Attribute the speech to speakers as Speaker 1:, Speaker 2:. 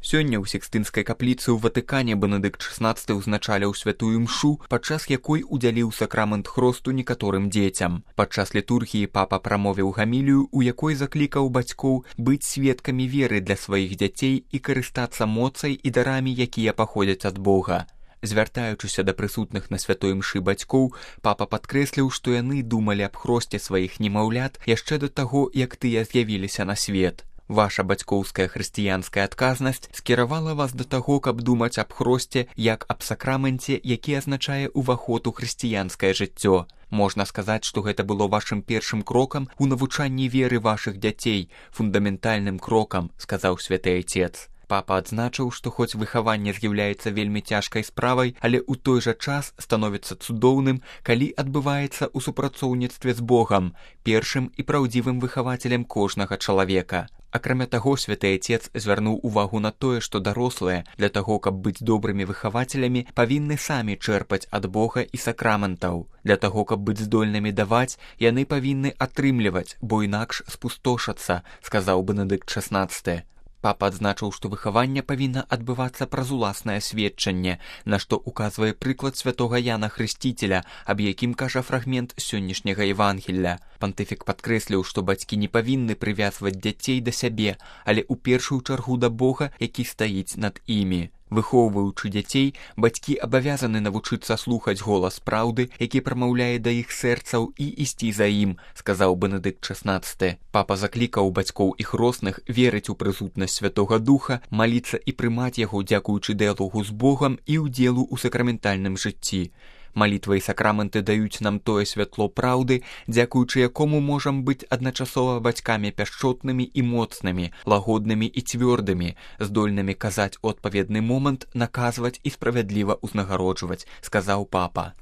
Speaker 1: Сёння ў Сікстынскай капліцы ў Ватыкане Бенедыкт XVI ўзначаліў святую імшу, падчас якой удзяліў сакрамент хросту некаторым дзецям. Падчас літургіі папа прамовіў гамілію, у якой заклікаў бацькоў быць сведкамі веры для сваіх дзяцей і карыстацца моцай і дарамі, якія паходзяць ад Бога. Звяртаючыся да прысутных на святой імшы бацькоў, папа падкрэсліў, што яны думалі аб хросце сваіх немаўлят яшчэ да таго, як тыя з'явіліся на свет. Ваша бацькоўская хрысціянская адказнасць скіравала вас да таго, каб думаць аб хросце як аб сакраменце, які азначае ўваход у хрысціянскае жыццё. Можна сказаць, што гэта было вашым першым крокам у навучанні веры вашых дзяцей, фундаментальным крокам, сказаў святы айцец. Папа адзначыў, што хоць выхаванне з'яўляецца вельмі цяжкай справай, але ў той жа час становіцца цудоўным, калі адбываецца ў супрацоўніцтве з Богам, першым і праўдзівым выхавацелем кожнага чалавека. Акрамя таго, святы айцец звярнуў увагу на тое, што дарослыя для таго, каб быць добрымі выхавацелямі, павінны самі чэрпаць ад Бога і сакраментаў. Для таго, каб быць здольнымі даваць, яны павінны атрымліваць, бо інакш спустошацца, сказаў Бенедыкт XVI. Папа адзначыў, што выхаванне павінна адбывацца праз уласнае сведчанне, на што указвае прыклад святога Яна Хрысціцеля, аб якім кажа фрагмент сённяшняга Евангелля. Пантыфік падкрэсліў, што бацькі не павінны прывязваць дзяцей да сябе, але ў першую чаргу да Бога, які стаіць над імі. Выхоўваючы дзяцей, бацькі абавязаны навучыцца слухаць голас праўды, які прамаўляе да іх сэрцаў, і ісці за ім, сказаў Бенедыкт XVI. Папа заклікаў бацькоў і хросных верыць у прысутнасць Святога Духа, маліцца і прымаць яго, дзякуючы дыялогу з Богам і ўдзелу ў сакраментальным жыцці. Малітва і сакраменты даюць нам тое святло праўды, дзякуючы якому можам быць адначасова бацькамі пяшчотнымі і моцнымі, лагоднымі і цвёрдымі, здольнымі казаць у адпаведны момант, наказваць і справядліва ўзнагароджваць, сказаў папа.